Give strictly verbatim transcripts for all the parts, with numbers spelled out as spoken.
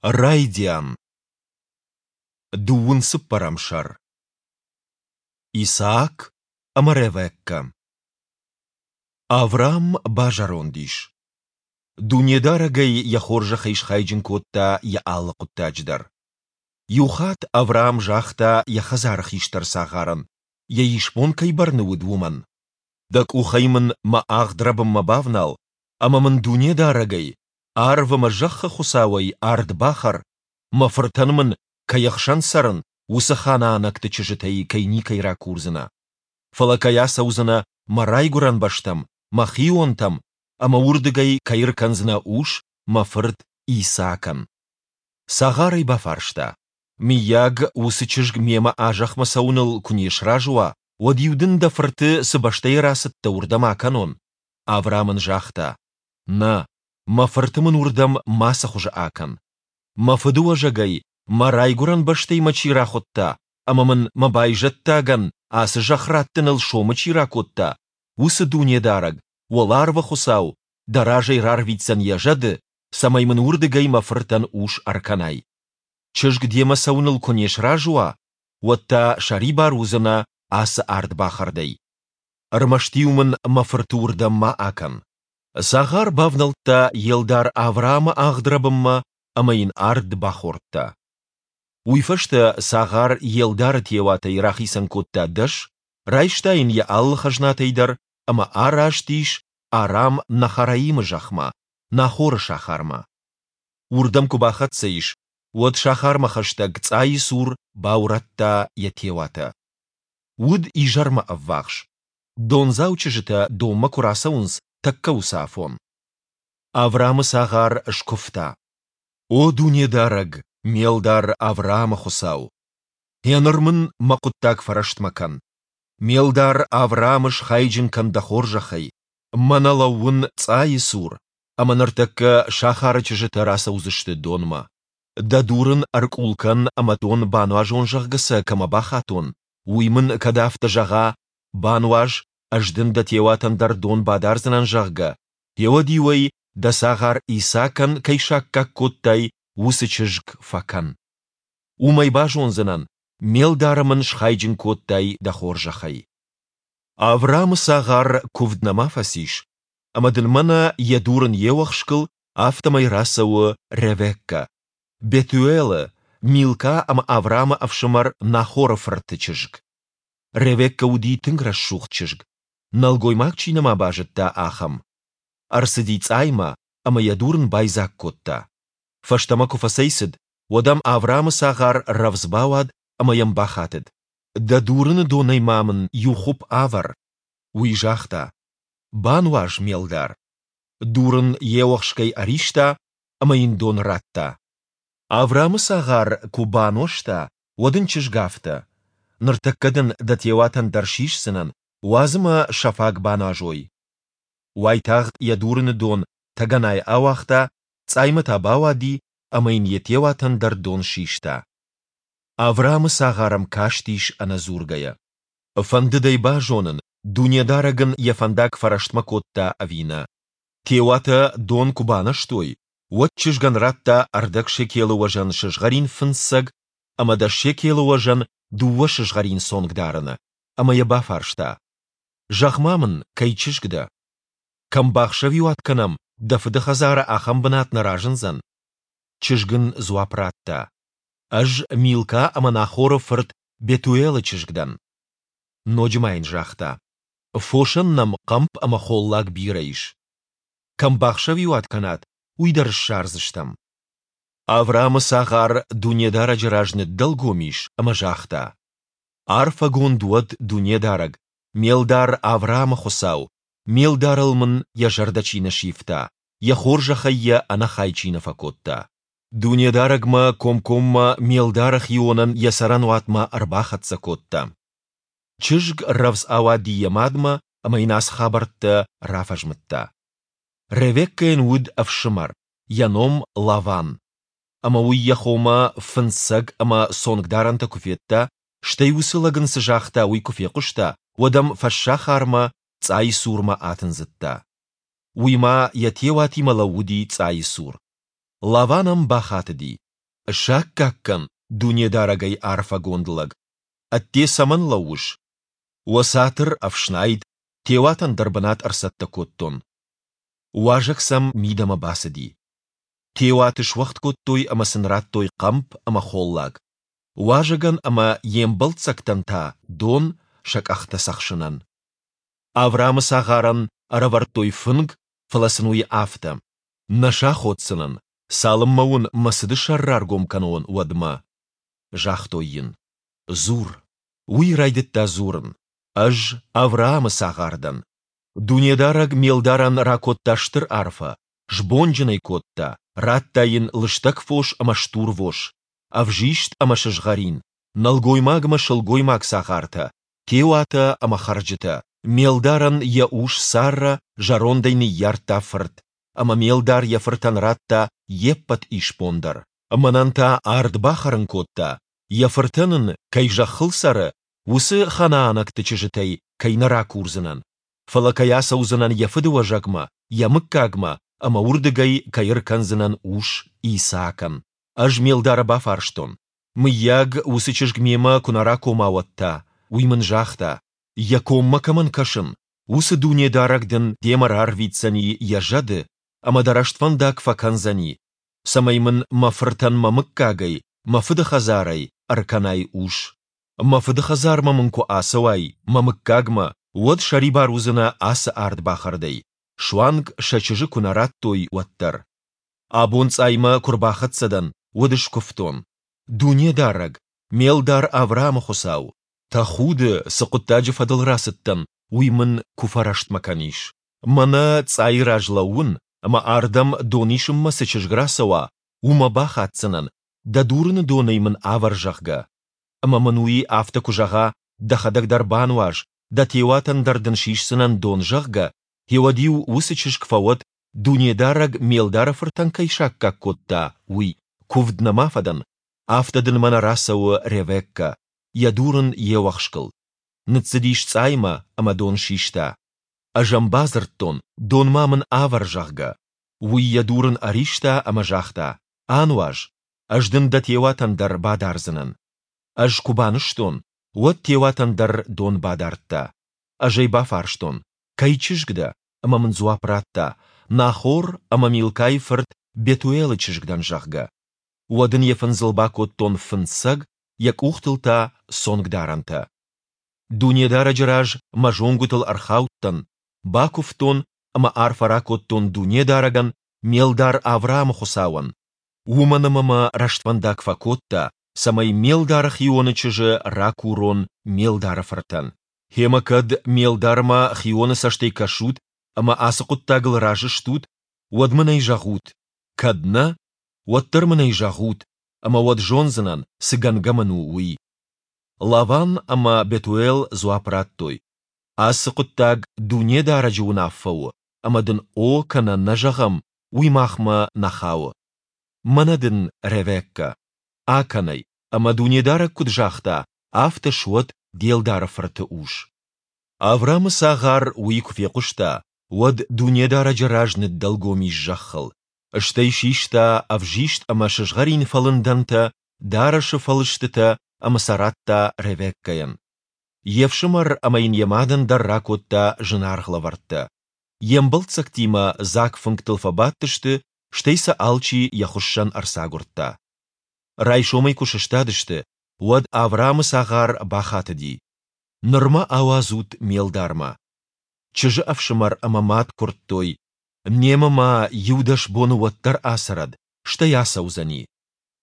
Райдиан. Дыууын цыппӕрӕм сӕр. Исаак ӕмӕ Ревеккӕ. Авраам базӕронд ис. Дунедарӕг ӕй йӕ хорзӕхӕй схайджын кодта йӕ алы хъуыддаджы дӕр. Иу хатт Авраам загъта йӕ хӕдзары хистӕр цагъарӕн, йӕ исбон кӕй бӕрны уыд, уымӕн: Дӕ къухӕй мын мӕ агъдрӕбынмӕ бавнал ӕмӕ мын Дунедарӕгӕй, арв ӕмӕ зӕххы Хуыцауӕй, ард бахӕр, мӕ фыртӕн мын, кӕй ӕхсӕн цӕрын, уыцы ханаанӕгты чызджытӕй кӕй никӕй ракурдзынӕ. Фӕлӕ кӕй ацӕудзынӕ мӕ райгуырӕн бӕстӕм, мӕ хионтӕм, ӕмӕ уырдыгӕй кӕй ӕркӕндзынӕ ус мӕ фырт Исаакӕн. Цагъар ӕй бафарста: Мыййаг, уыцы чызг мемӕ а зӕхмӕ цӕуыныл куы не сразы уа, уӕд-иу дын дӕ фырты, цы бӕстӕй рацыдтӕ, уырдӕм акӕнон? Авраам ын загъта: Нӕ, мӕ фырты мын уырдӕм мацы хуызы акӕн. Мӕ фыдыуӕзӕгӕй, мӕ райгуырӕн бӕстӕй мӕ чи рахуыдта ӕмӕ мын мӕ байзӕддагӕн ацы зӕхх раттыныл сомы чи ракодта, уыцы Дунедарӕг, уӕларвы Хуыцау, дӕ разӕй рарвитдзӕн йӕ зӕды, цӕмӕй мын уырдыгӕй мӕ фыртӕн ус ӕркӕнай. Чызг демӕ цӕуыныл куы не сразы уа, уӕд та сӕрибар уыдзынӕ ацы ардбахӕрдӕй. Ӕрмӕст-иу мын мӕ фырты уырдӕм ма акӕн. Цагъар бавнӕлдта йе лдар Авраамы агъдрӕбынмӕ ӕмӕ йын ард бахордта. Уый фӕстӕ цагъар йе лдары теуатӕй рахицӕн кодта дӕс, райста йын йӕ алы хӕзнатӕй дӕр ӕмӕ араст ис Арам-Нахараимы зӕхмӕ, Нахоры сахармӕ. Уырдӕм куы бахӕццӕ ис, уӕд сахармӕ хӕстӕг цъайы цур баурӕдта йӕ теуатӕ. Уыд изӕрмӕ ӕввахс. Дондзау чызджытӕ донмӕ куы рацӕуынц, тӕккӕ уыцы афон. Авраамы цагъар скуывта: О Дунедарӕг, ме лдар Авраамы Хуыцау! Гъеныр мын мӕ хъуыддаг фӕрӕстмӕ кӕн. Ме лдар Авраамы схайджын кӕн дӕ хорзӕхӕй. Мӕнӕ лӕууын цъайы цур, ӕмӕ ныртӕккӕ сахары чызджытӕ рацӕудзысты донмӕ. Дӕ дурын ӕркъул кӕн ӕмӕ дон бануазон, зӕгъгӕ сӕ кӕмӕ бахатон, уый мын кӕд афтӕ зӕгъа, бануаз, ӕз дын дӕ теуатӕн дӕр дон бадардзынӕн, зӕгъгӕ, гъеуӕд-иу ӕй дӕ цагъар Исаакӕн кӕй саккаг кодтай, уыцы чызг фӕкӕн. Уымӕй базондзынӕн, ме лдары мын схайджын кодтай дӕ хорзӕхӕй. Авраамы цагъар куывд нӕма фӕцис, ӕмӕ дын мӕнӕ йӕ дурын йе уӕхскыл, афтӕмӕй рацӕуы Ревеккӕ, Бетуэлы, Милка ӕмӕ Авраамы ӕфсымӕр Нахоры фырты чызг. Ревеккӕ уыди тынг рӕсугъд чызг, нӕлгоймаг чи нӕма базыдта, ахӕм. Ӕрцыди цъаймӕ ӕмӕ йӕ дурын байдзаг кодта. Фӕстӕмӕ куы фӕцӕйцыд, уӕд ӕм Авраамы цагъар рӕвдз бауад ӕмӕ йӕм бахатыд: Дӕ дурыны донӕй ма мын иу хуыпп авӕр. Уый загъта: Бануаз, ме лдар. Дурын йе уӕхскӕй ӕриста ӕмӕ йын дон радта. Авраамы цагъар куы банозта, уӕд ын чызг афтӕ: Ныртӕккӕ дын дӕ теуатӕн дӕр сисдзынӕн, уадз ӕмӕ сӕ фаг баназой. Уайтагъд йӕ дурыны дон тӕгӕнайы ауагъта, цъаймӕ та бауади ӕмӕ йын йӕ теуатӕн дӕр дон систа. Авраамы цагъар ӕм кастис ӕнӕдзургӕйӕ. Фӕндыд ӕй базонын, Дунедарӕг ын йӕ фӕндаг фӕрӕстмӕ кодта ӕви нӕ. Теуатӕ дон куы баназтой, уӕд чызгӕн радта ӕрдӕг шекелы уӕзӕн сызгъӕрин фындзцӕг ӕмӕ дӕс шекелы уӕзӕн дыууӕ сызгъӕрин цонгдарӕны, ӕмӕ йӕ бафарста: Зӕгъ-ма мын, кӕй чызг дӕ? Кӕм бахсӕвиуат кӕнӕм, дӕ фыды хӕдзары ахӕм бынат нӕ разындзӕн? Чызг ын дзуапп радта: Ӕз Милка ӕмӕ Нахоры фырт Бетуэлы чызг дӕн. Ноджы ма йын загъта: Фосӕн нӕм хъӕмп ӕмӕ холлаг бирӕ ис. Кӕм бахсӕвиуат кӕнат, уый дӕр ссардзыстӕм. Авраамы цагъар Дунедарӕджы раз ныддӕлгом ис ӕмӕ загъта: Арфӕгонд уӕд Дунедарӕг, ме лдар Авраамы Хуыцау, ме лдарыл мын йӕ зӕрдӕ чи нӕ сивта, йӕ хорзӕхӕй йӕ ӕнӕхай чи нӕ фӕкодта. Дунедарӕг мӕ комкоммӕ ме лдары хионӕн йӕ цӕрӕнуатмӕ ӕрбахӕццӕ кодта. Чызг рӕвдз ауади йӕ мадмӕ ӕмӕ йын ацы хабӕрттӕ рафӕзмыдта. Ревеккӕйӕн уыд ӕфсымӕр, йӕ ном Лаван. Ӕмӕ уый йӕ хомӕ фындзцӕг ӕмӕ цонгдарӕнтӕ куы федта, стӕй уыцы лӕг ын цы загъта, уый куы фехъуыста, уӕд ӕм фӕссахармӕ, цъайы цурмӕ атындзыдта. Уый ма йӕ теуатимӕ лӕууыди цъайы цур. Лаван ӕм бахатыди: Саккаг кӕн, Дунедарӕгӕй арфӕгонд лӕг! Ӕдде цӕмӕн лӕууыс? Уӕ цатыр ӕфснайд, теуатӕн дӕр бынат ӕрцӕттӕ кодтон. Уазӕг сӕм мидӕмӕ бацыди. Теуаты суӕгъд кодтой ӕмӕ сын радтой хъӕмп ӕмӕ холлаг. Уазӕгӕн ӕмӕ йе мбӕлццӕгтӕн та дон, сӕ къӕхтӕ цӕхсынӕн. Авраамы цагъарӕн ӕрӕвӕрдтой фынг, фӕлӕ сын уый афтӕ: Нӕ саходдзынӕн, цалынмӕ уын мӕ цыды сӕр раргом кӕнон, уӕдмӕ. Загътой йын: Дзур. Уый райдыдта дзурын: Ӕз Авраамы цагъар дӕн. Дунедарӕг ме лдарӕн ракодта стыр арфӕ, сбонджын ӕй кодта, радта йын лыстӕг фос ӕмӕ стурвос, ӕвзист ӕмӕ сызгъӕрин, нӕлгоймаг ӕмӕ сылгоймаг цагъартӕ, теуатӕ ӕмӕ хӕрджытӕ. Ме лдарӕн йӕ ус Саррӕ зӕрондӕй ныййардта фырт, ӕмӕ ме лдар йӕ фыртӕн радта йе ппӕт исбон дӕр. Мӕнӕн та ард бахӕрын кодта, йӕ фыртӕн ын, кӕй зӕххыл цӕры, уыцы ханаанӕгты чызджытӕй кӕй нӕ ракурдзынӕн, фӕлӕ кӕй ацӕудзынӕн йӕ фыдыуӕзӕгмӕ, йӕ мыггагмӕ, ӕмӕ уырдыгӕй кӕй ӕркӕндзынӕн ус Исаакӕн. Ӕз ме лдары бафарстон, Мыййаг, уыцы чызг мемӕ куы нӕ ракома, уӕд та? Уый мын загъта, Йӕ коммӕ кӕмӕн кӕсын, уыцы Дунедарӕг дын демӕ рарвитдзӕни йӕ зӕды, ӕмӕ дӕ рӕствӕндаг фӕкӕндзӕни, цӕмӕй мын мӕ фыртӕн мӕ мыггагӕй, мӕ фыды хӕдзарӕй, ӕркӕнай ус. Мӕ фыды хӕдзармӕ мын куы ацӕуай, мӕ мыггагмӕ, уӕд сӕрибар уыдзынӕ ацы ардбахӕрдӕй, суанг сӕ чызджы куы нӕ радтой, уӕддӕр. Абон цъаймӕ куы рбахӕццӕ дӕн, уӕд скуывтон, Дунедарӕг, ме лдар Авраамы Хуыцау! Тӕхуды, цы хъуыддаджы фӕдыл рацыдтӕн, уый мын куы фӕрӕстмӕ кӕнис. Мӕнӕ цъайы раз лӕууын, ӕмӕ ардӕм дон исынмӕ цы чызг рацӕуа, уымӕ бахатдзынӕн, дӕ дурыны донӕй мын авӕр, зӕгъгӕ. Ӕмӕ мын уый афтӕ куы зӕгъа, дӕхӕдӕг дӕр бануаз, дӕ теуатӕн дӕр дын сисдзынӕн дон, зӕгъгӕ, гъеуӕд-иу уыцы чызг фӕуӕд, Дунедарӕг ме лдары фыртӕн кӕй саккаг кодта, уый. Куывд нӕма фӕдӕн, афтӕ дын мӕнӕ рацӕуы Ревеккӕ, йӕ дурын йе уӕхскыл. Ныццыдис цъаймӕ ӕмӕ дон систа. Ӕз ӕм бадзырдтон, дон-ма мын авӕр, зӕгъгӕ. Уый йӕ дурын ӕриста ӕмӕ загъта, Ануаз, ӕз дын дӕ теуатӕн дӕр бадардзынӕн. Ӕз куы банызтон, уӕд теуатӕн дӕр дон бадардта. Ӕз ӕй бафарстон, Кӕй чызг дӕ? Ӕмӕ мын дзуапп радта, Нахор ӕмӕ Милкайы фырт Бетуелы чызг дӕн, зӕгъгӕ. Уӕд ын йӕ фындзыл бакодтон фындзцӕг, йӕ къухтыл та цонгдарӕнтӕ. Дунедарӕджы раз мӕ зонгуытыл ӕрхаудтӕн, бакуывтон ӕмӕ арфӕ ракодтон Дунедарӕгӕн, ме лдар Авраамы Хуыцауӕн, уымӕн ӕмӕ мӕ рӕствӕндаг фӕкодта, цӕмӕй ме лдары хионы чызджы ракурон ме лдары фыртӕн. Гъемӕ кӕд ме лдармӕ хионы цӕстӕй кӕсут ӕмӕ ацы хъуыддагыл разы стут, уӕд мын ӕй зӕгъут, кӕд нӕ, уӕддӕр мын ӕй зӕгъут, ӕмӕ уӕд зондзынӕн, цы гӕнгӕ мын у, уый. Лаван ӕмӕ Бетуел дзуапп радтой, Ацы хъуыддаг Дунедарӕджы уынаффӕ у, ӕмӕ дын о кӕнӕ нӕ зӕгъӕм, уый махмӕ нӕ хауы. Мӕнӕ дын Ревеккӕ. Акӕн ӕй, ӕмӕ Дунедарӕг куыд загъта, афтӕ суӕд де лдары фырты ус. Авраамы цагъар уый куы фехъуыста, уӕд Дунедарӕджы раз ныддӕлгом ис зӕххыл. Стӕй систа ӕвзист ӕмӕ сызгъӕрин фӕлындӕнтӕ, дарӕсы фӕлыстытӕ ӕмӕ сӕ радта Ревеккӕйӕн. Йе фсымӕр ӕмӕ йын йӕ мадӕн дӕр ракодта зынаргъ лӕвӕрттӕ. Йе мбӕлццӕгтимӕ дзаг фынгтыл фӕбадтысты, стӕй сӕ алчи йӕ хуыссӕн ӕрцагуырдта. Райсомӕй куы сыстадысты, уӕд Авраамы цагъар бахатыди: Ныр мӕ ауадзут ме лдармӕ. Чызджы ӕфсымӕр ӕмӕ мад куырдтой, Немӕ ма иу-дӕс боны уӕддӕр ацӕрӕд, стӕй ацӕудзӕни.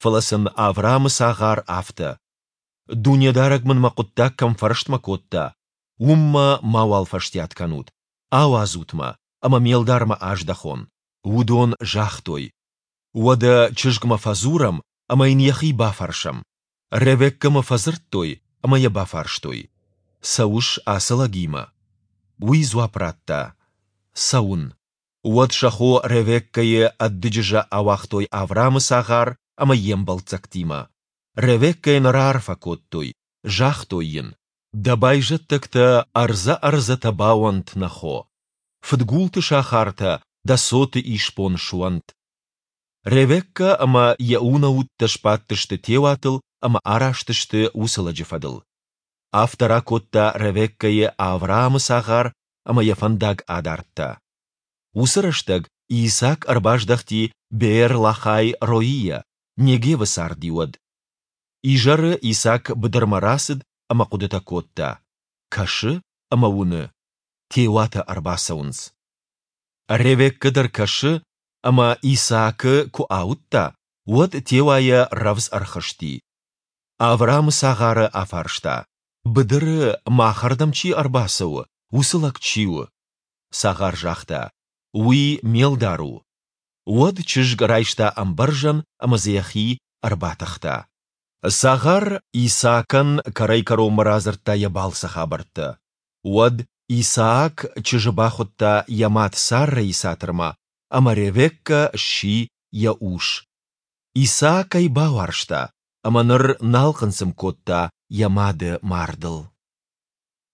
Фӕлӕ сын Авраамы цагъар афтӕ: Дунедарӕг мын мӕ хъуыддаг кӕм фӕрӕстмӕ кодта, уым мӕ мауал фӕстиат кӕнут, ауадзут мӕ, ӕмӕ ме лдармӕ аздӕхон. Уыдон загътой: Уӕдӕ чызгмӕ фӕдзурӕм ӕмӕ йын йӕхи бафӕрсӕм. Ревеккӕмӕ фӕдзырдтой ӕмӕ йӕ бафарстой, Цӕуыс ацы лӕгимӕ? Уый дзуапп радта, Цӕуын. Уӕд сӕ хо Ревеккӕйы ӕд дыджызӕ ауагътой Авраамы цагъар ӕмӕ йе мбӕлццӕгтимӕ. Ревеккӕйӕн раарфӕ кодтой, загътой йын, Дӕ байзӕддӕгтӕ ӕрдзӕ-ӕрдзӕтӕ бауӕнт, нӕ хо! Фыдгулты сахартӕ дӕ цоты исбон суӕнт! Ревеккӕ ӕмӕ йӕ унӕуттӕ сбадтысты теуатыл ӕмӕ араст сты уыцы лӕджы фӕдыл. Афтӕ ракодта Ревеккӕйы Авраамы цагъар ӕмӕ йӕ фӕндаг адардта. Уыцы рӕстӕг Исаак ӕрбаздӕхти Беэр-Лахай-Роийӕ, Негевы царди уӕд. Изӕры Исаак быдырмӕ рацыд ӕмӕ хъуыдытӕ кодта. Кӕсы ӕмӕ уыны, теуатӕ ӕрбацӕуынц. Ревеккӕ дӕр кӕсы, ӕмӕ Исаакы куы ауыдта, уӕд теуайӕ рӕвдз ӕрхызти. Авраамы цагъары афарста, Быдыры махӕрдӕм чи ӕрбацӕуы, уыцы лӕг чи у? Цагъар загъта, Уый ме лдар у. Уӕд чызг райста ӕмбӕрзӕн ӕмӕ дзы йӕхи ӕрбатыхта. Цагъар Исаакӕн кӕрӕй-кӕронмӕ радзырдта йӕ балцы хабӕрттӕ. Уӕд Исаак чызджы бахуыдта йӕ мад Саррӕйы цатырмӕ, ӕмӕ Ревеккӕ сси йӕ ус. Исаак ӕй бауарзта, ӕмӕ ныр нал хъынцъым кодта йӕ мады мардыл.